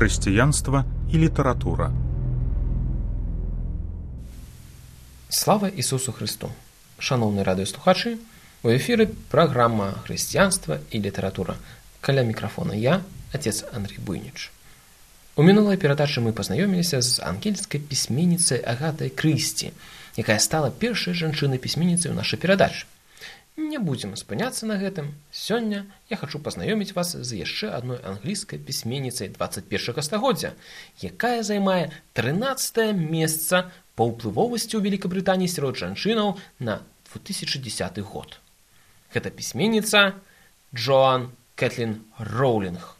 Хрысціянства і літаратура. Слава Ісусу Христу! Шановні радыёслухачы, у эфіры праграма «Хрысціянства і літаратура». Каля мікрафона я, отец Андрей Буйніч. У мінулай перадачы мы пазнаёміліся з ангельскай пісьменніцай Агатай Крысці, якая стала першай жанчынай-пісьменніцай у нашай перадачы. Не будзем спыняцца на гэтым. Сёння я хачу пазнаёміць вас з яшчэ адной англійскай пісьменніцай 21 стагоддзя, якая займае 13е месца па ўплывовасці ў Великабрытаніі сярод жанчынаў на 2010 год. Гэта пісьменніца Джоан Кэтлін Роулінг.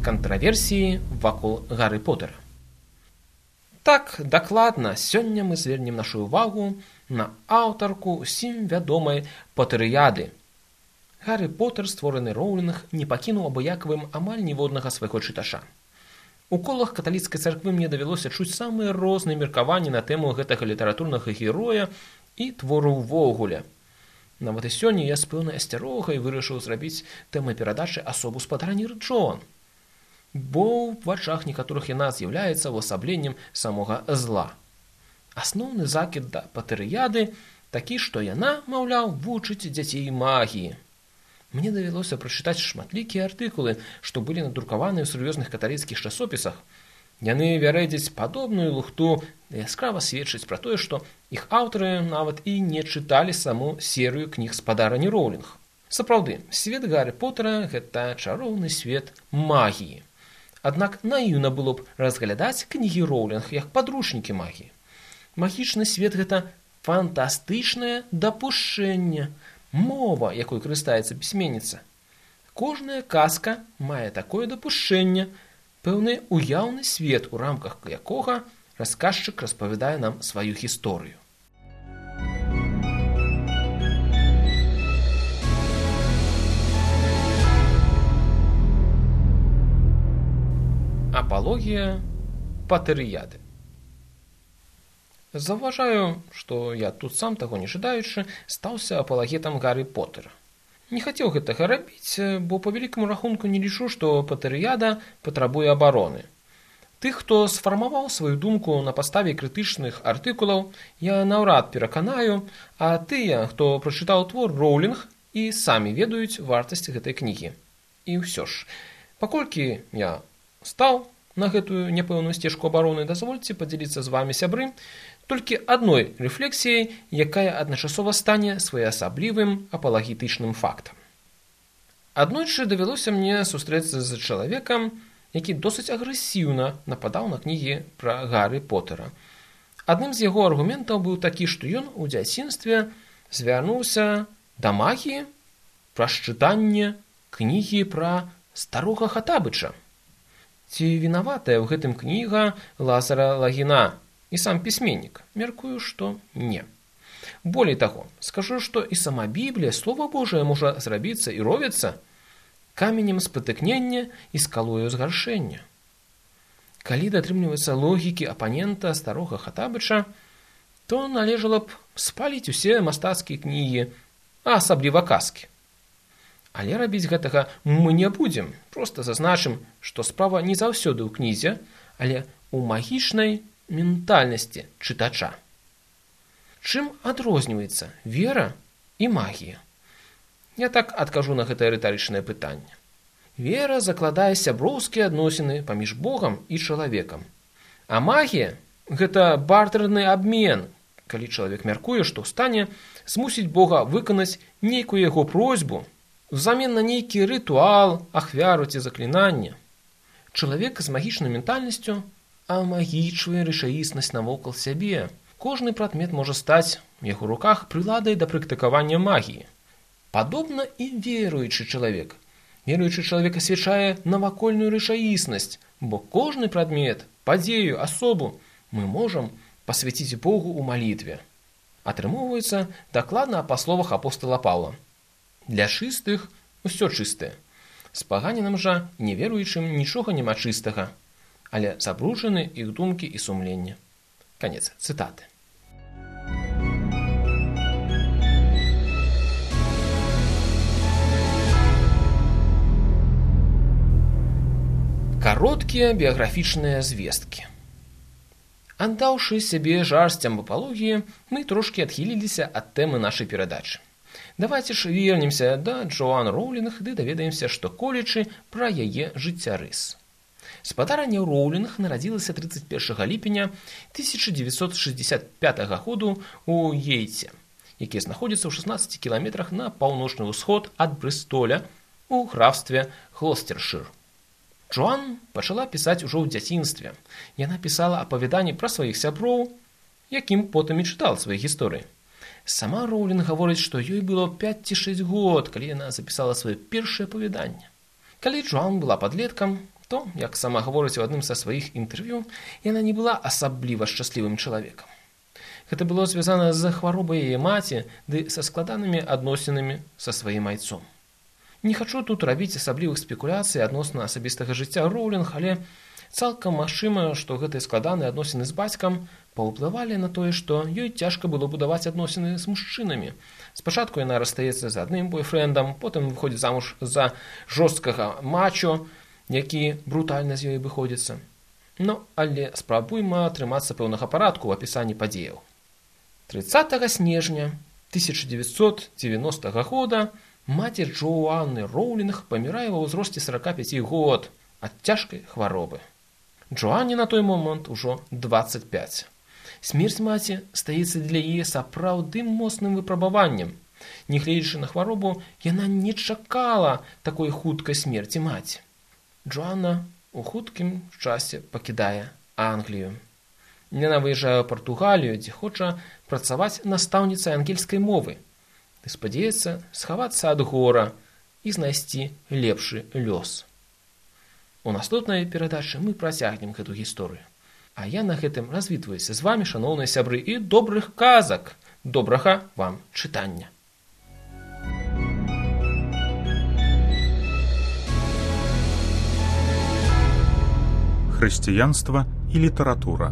Кантраверсіі вакол Гарры Поттера. Так, дакладна, сёння мы звернем нашу ўвагу на аўтарку ўсім вядомай Потэрыяды. Гарры Поттер, створаны Роулінг, не пакінуў абыякавым амаль ніводнага свайго чытача. У колах каталіцкай царквы мне давялося чуць самыя розныя меркаванні на тэму гэтага літаратурнага героя і твору ўвогуле. Нават і сёння я з пэўнай асцярогай вырашыў зрабіць тэмай перадачы асобу спадарні Джоан, бо ў вачах некаторых яна з'яўляецца ўвасабленнем самога зла. Асноўны закід да Потэрыяды такі, што яна, маўляў, вучыць дзяцей магіі. Мне давялося прачытаць шматлікія артыкулы, што былі надрукаваны ў сур'ёзных каталіцкіх часопісах. Яны вярэдзяць падобную лухту, яскрава сведчаць пра тое, што іх аўтары нават і не чыталі саму серыю кніг спадарні Роулінг. Сапраўды, свет Гарры Поттера – гэта чароўны свет магіі. Аднак наіўна было б разглядаць кнігі Роулінг як падручнікі магіі. Магічны свет – гэта фантастычнае дапушчэнне, мова, якой карыстаецца пісьменніца. Кожная казка мае такое дапушчэнне, пэўны уяўны свет, у рамках якога расказчык распавядае нам сваю гісторыю. Апалогія Потэрыяды. Заўважаю, што я тут сам, таго не жадаючы, стаўся апалагетам Гарры Поттера. Не хацеў гэтага рабіць, бо па вялікаму рахунку не лічу, што Потэрыяда патрабуе абароны. Тых, хто сфармаваў сваю думку на падставе крытычных артыкулаў, я наўрад пераканаю, а тыя, хто прачытаў твор Роулінг, і самі ведаюць вартасць гэтай кнігі. І ўсё ж, паколькі я стаў на гэтую няпэўную сцежку абароны, дазвольце падзяліцца з вамі, сябры, толькі адной рэфлексіяй, якая адначасова стане своеасаблівым апалагетычным фактам. Аднойчы давялося мне сустрэцца з чалавекам, які досыць агрэсіўна нападаў на кнігі пра Гарры Поттера. Адным з яго аргументаў быў такі, што ён у дзяцінстве звярнуўся да магіі праз чытанне кнігі пра старога Хатабыча. Ці вінаватая ў гэтым кніга Лазара Лагіна і сам пісьменнік? Мяркую, што не. Болей таго, скажу, што і сама Біблія, Слова Божае, можа зрабіцца і робіцца каменем спатыкнення і скалою згаршэння. Калі датрымліваецца логікі апанента старога Хатабыча, то належала б спаліць усе мастацкія кнігі, а асабліва казкі. Але рабіць гэтага мы не будзем, проста зазначым, што справа не заўсёды ў кнізе, але ў магічнай ментальнасці чытача. Чым адрозніваецца вера і магія? Я так адкажу на гэтае рытарычнае пытанне. Вера закладае сяброўскія адносіны паміж Богам і чалавекам. А магія – гэта бартэрны абмен, калі чалавек мяркуе, што ў стане змусіць Бога выканаць нейкую яго просьбу, взамен на нейкі рытуал, ахвяру ці заклінанне. Чалавек з магічнай ментальнасцю амагічвае рэчаіснасць навокал сябе. Кожны прадмет можа стаць у яго руках прыладай да практыкавання магіі. Падобна і веруючы чалавек. Веруючы чалавек асвячае навакольную рэчаіснасць, бо кожны прадмет, падзею, асобу мы можам пасвяціць Богу ў малітве. Атрымоўваецца дакладна па словах апостала Паўла. Для чыстых усё чыстае. З паганінам жа неверуючым нічога няма чыстага, але забруджаны іх думкі і сумленне. Канец цытаты. Кароткія біяграфічныя звесткі. Аддаўшы сябе жарсцям апалогіі, мы трошкі адхіліліся ад тэмы нашай перадачы. Давайце ж вернемся да Джоан Роўлінг ды даведаемся, што колечы пра яе жыццярыс. Спадарня Роўлінг нарадзілася 31 ліпеня 1965 году ў Ейце, які знаходзіцца ў 16 кіламетрах на паўночны ўсход ад Брыстоля у графстве Глосцершыр. Джоан пачала пісаць ужо ў дзяцінстве. Яна пісала апавяданні пра сваіх сяброў, якім потым і чытала свае гісторыі. Сама Роўлінг гаворыць, што ёй было 5 ці 6 год, калі яна запісала сваё першае апавяданне. Калі Джоан была падлеткам, то, як сама гаворыць у адным са сваіх інтэрв'ю, яна не была асабліва шчаслівым чалавекам. Гэта было звязана з хваробай яе маці ды са складанымі адносінамі са сваім айцом. Не хачу тут рабіць асаблівых спекуляцый адносна асабістага жыцця Роўлінг, але цалкам магчыма, што гэтыя складаныя адносіны з бацькам паўплывалі на тое, што ёй цяжка было будаваць адносіны з мужчынамі. Спачатку яна расстаецца з адным бойфрэндам, потым выходзіць замуж за жорсткага мачо, які брутальна з ёй выходзіцца. Але спрабуйма атрымацца пэўнага парадку ў апісанні падзеяў. 30 снежня 1990 года маці Джоаны Роўлінг памірае ва ўзросце 45 год ад цяжкай хваробы. Джоане на той момант ужо 25. Смерць маці стаецца для яе сапраўдным моцным выпрабаваннем. Нягледзячы на хваробу, яна не чакала такой хуткай смерці маці. Джоанна у хуткім часе пакідае Англію. Яна выязджае ў Партугалію, дзе хоча працаваць настаўніцай ангельскай мовы. Ды спадзяецца схавацца ад гора і знайсці лепшы лёс. У наступнай перадачы мы працягнем гэту гісторыю. А я на гэтым развітваюся з вамі, шаноўныя сябры, і добрых казак. Добрага вам чытання. Хрысціянства і літаратура.